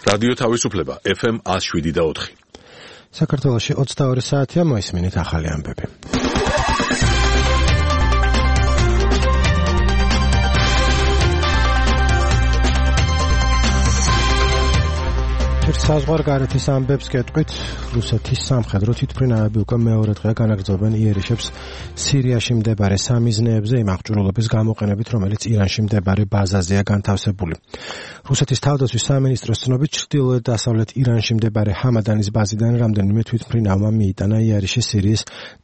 რადიო თავისუფლება FM 107.4. საქართველოში 22 საათია, მოისმინეთ ახალი ამბები. საზღვარგარეთის ამბებს გეტყვით, რუსეთის სამხედრო თვითმფრინავები უკვე მეორე დღეა განაგრძობენ იერიშებს სირიაში მდებარე სამიზნეებზე იმ აღჭურვილობის გამოყენებით, რომელიც ირანში მდებარე ბაზაზეა განთავსებული. რუსეთის თავდაცვის სამინისტროს ცნობით, ჩრდილოეთ-დასავლეთ ირანში მდებარე ჰამადანის ბაზიდან რამდენიმე თვითმფრინავმა მიიტანა იერიშის სირიის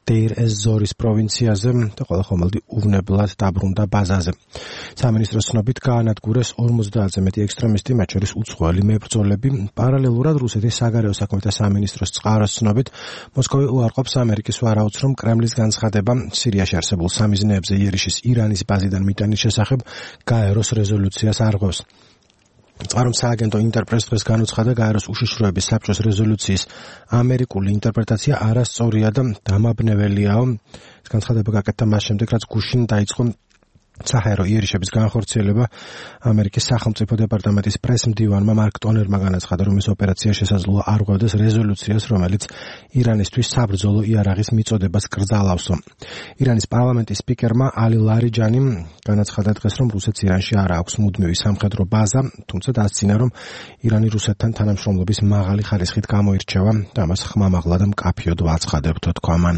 დეირ-ეს-ზორის პროვინციაზე და ყველა ხომალდი უვნებლად დაბრუნდა ბაზაზე. სამინისტროს ცნობით გაანადგურეს 50-ზე მეტი ექსტრემისტი, მათ შორის უცხოელი მებრძოლები. პარალელურად რუსეთის საგარეო საქმეთა სამინისტროს წყაროს ცნობით, მოსკოვი უარყოფს ამერიკის ვარაუდს, რომ კრემლის განცხადება სირიაში არსებულ სამიზნეებზე იერიშის ირანის ბაზიდან მიტანის შესახებ გაეროს რეზოლუციას არღვევს. წყარომ სააგენტო ინტერპრესს დღეს განუცხადა, გაეროს უშიშროების საბჭოს რეზოლუციის ამერიკული ინტერპრეტაცია არასწორია და დამაბნეველიაო. ეს განცხადება გაკეთდა მას შემდეგ, რაც გუშინ დაიწყო საჰაერო იერიშების განხორციელება. ამერიკის სახელმწიფო დეპარტამენტის პრესმდივანმა მარკ ტონერმა განაცხადა, რომ ეს ოპერაცია შესაძლოა არღვევდეს რეზოლუციას, რომელიც ირანისთვის საბრძოლო იარაღის მიწოდებას კრძალავსო. ირანის პარლამენტის სპიკერმა ალი ლარიჯანიმ განაცხადა დღეს, რომ რუსეთს ირანში არ აქვს მუდმივი სამხედრო ბაზა, თუმცა დასცინა, რომ ირანი რუსეთთან თანამშრომლობის მაღალი ხარისხით გამოირჩევა და მას ხმამაღლა და მკაფიოდ ვაცხადებთო, თქვა მან.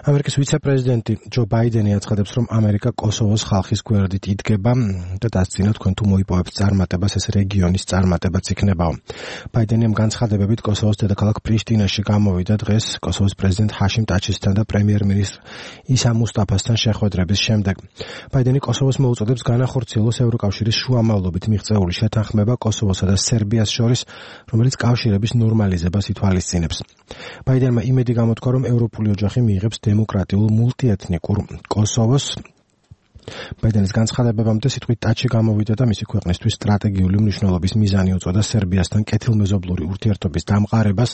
ამერიკის ვიცე-პრეზიდენტი ჯო ბაიდენი აცხადებს, რომ ამერიკა კოსოვოს ხალხის გვერდით იდგება და დასცინა, თქვენ თუ მოიპოვებთ წარმატებას, ეს რეგიონის წარმატებაც იქნებაო. ბაიდენი ამ განცხადებებით კოსოვოს დედაქალაქ პრიშტინაში გამოვიდა დღეს კოსოვოს პრეზიდენტ ჰაშიმ ტაჩისთან და პრემიერ-მინისტრ ისა მუსტაფასთან შეხვედრების შემდეგ. ბაიდენი კოსოვოს მოუწოდებს განახორციელოს ევროკავშირის შუამავლობით მიღწეული შეთანხმება კოსოვოსა და სერბიას შორის, რომელიც კავშირების ნორმალიზებას ითვალისწინებს. ბაიდენმა იმედი გამოთქვა, რომ ევროპული ოჯახი მიიღებს დემოკრატიულ მულტიეთნიკურ კოსოვოს. ბაიდენის განცხადებამდე სიტყვით ტაჩი გამოვიდა და მისი ქვეყნისთვის სტრატეგიული მნიშვნელობის მიზანი უწოდა სერბიასთან კეთილმეზობლური ურთიერთობის დამყარებას.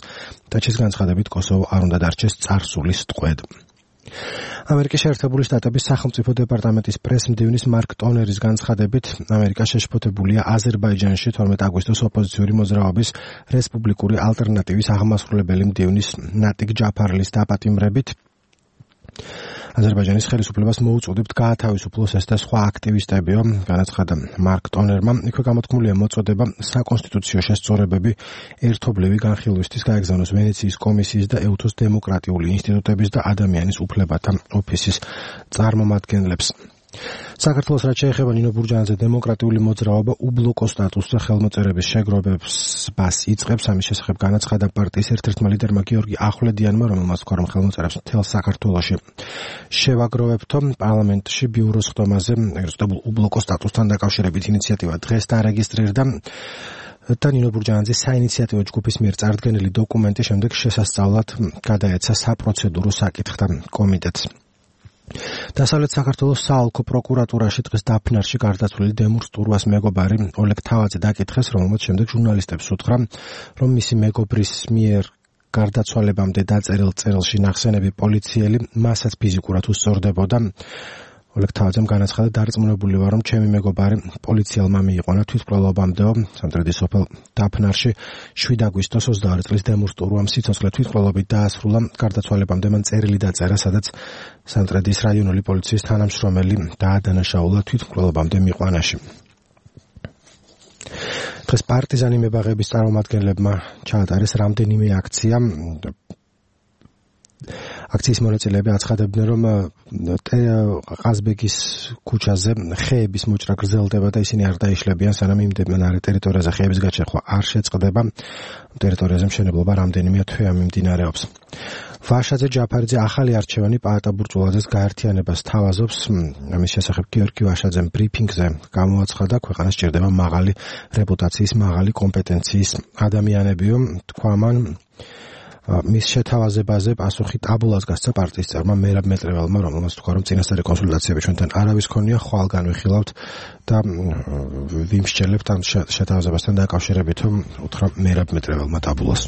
ტაჩის განცხადებით კოსოვო არ უნდა დარჩეს წარსულის ტყვედ. ამერიკის შეერთებული შტატების სახელმწიფო დეპარტამენტის პრესმდივნის მარკ ტონერის განცხადებით, ამერიკა შეშფოთებულია აზერბაიჯანში 12 აგვისტოს ოპოზიციური მოძრაობის რესპუბლიკური ალტერნატივის აღმასრულებელი მდივნის ნატიკ ჯაფარლის დაპატიმრებით. აზერბაიჯანის ხელისუფლებას მოუწოდებთ გაათავისუფლოს ეს და სხვა აქტივისტებიო, განაცხადა მარკ ტონერმა. იქვე გამოთქმულია მოწოდება საკონსტიტუციო შესწორებები ერთობლივი განხილვისთვის გაეგზავნოს ვენეციის კომისიის და ეუთოს დემოკრატიული ინსტიტუტების და ადამიანის უფლებათა ოფისის წარმომადგენლებს. საქართველოს რაც შეეხება ნინო ბურჯანაძე დემოკრატიული მოძრაობა უბლოკო სტატუსზე ხელმოწერების შეგროვებას იწყებს. ამის შესახებ განაცხადა პარტიის ერთ-ერთმა ლიდერმა გიორგი ახვლედიანმა, რომელმაც თქვა, რომ ხელმოწერებს მთელ საქართველოში შევაგროვებთო. პარლამენტში ბიუროს ხდომაზე ეგრეთ წოდებულ უბლოკო სტატუსთან დაკავშირებით ინიციატივა დღეს დაარეგისტრირდა და ნინო ბურჯანაძის საინიციატივო ჯგუფის მიერ წარდგენილი დოკუმენტი შემდეგ შესასწავლად გადაეცა საპროცედურო საკითხთა კომიტეტს. დასავლეთ საქართველოს საოლქო პროკურატურაში დღეს დაფნარში გარდაცვლილი დემურ სტურვას მეგობარი ოლეგ თავაძე დაკითხეს, რომელმაც შემდეგ ჟურნალისტებს უთხრა, რომ მისი მეგობრის მიერ გარდაცვალებამდე დაწერილ წერილში ნახსენები პოლიციელი მასაც ფიზიკურად უსწორდებოდა. ოლეგ თავაძემ განაცხადა, დარწმუნებული ვარ, რომ ჩემი მეგობარი პოლიციელმა მიიყვანა თვითმკვლელობამდეო. სამტრედის სოფელ დაფნარში 7 აგვისტოს 22 წლის დემურ სტურვამ სიცოცხლე თვითმკვლელობით დაასრულა. გარდაცვალებამდე მან წერილი დაწერა, სადაც სამტრედის რაიონული პოლიციის თანამშრომელი დაადანაშაულა თვითმკვლელობამდე მიყვანაში. დღეს პარტიზანი მებაღების წარმომადგენლებმა ჩაატარეს რამდენიმე აქცია. აქციის მონაწილეები აცხადებდნენ, რომ ყაზბეგის ქუჩაზე ხეების მოჭრა გრძელდება და ისინი არ დაიშლებიან, სანამ იმდებიან ტერიტორიაზე ხეების გაჩეხვა არ შეწყდება. ტერიტორიაზე მშენებლობა რამდენიმე თვეა მიმდინარეობს. ვაშაძე ჯაფარიძე ახალი არჩევანი პაატა ბურჭულაძეს გაერთიანებას თავაზობს. ამის შესახებ გიორგი ვაშაძემ ბრიფინგზე გამოაცხადა, ქვეყანას სჭირდება მაღალი რეპუტაციის, მაღალი კომპეტენციის ადამიანებიო, თქვა მან. მის შეთავაზებაზე პასუხი ტაბულას გასცა პარტიის წევრმა მერაბ მეტრეველმა, რომელმაც თქვა, რომ წინასწარი კონსულტაციები ჩვენთან არავის ქონია, ხვალ განვიხილავთ და ვიმსჯელებთ ამ შეთავაზებასთან დაკავშირებით, უთხრა მერაბ მეტრეველმა ტაბულას.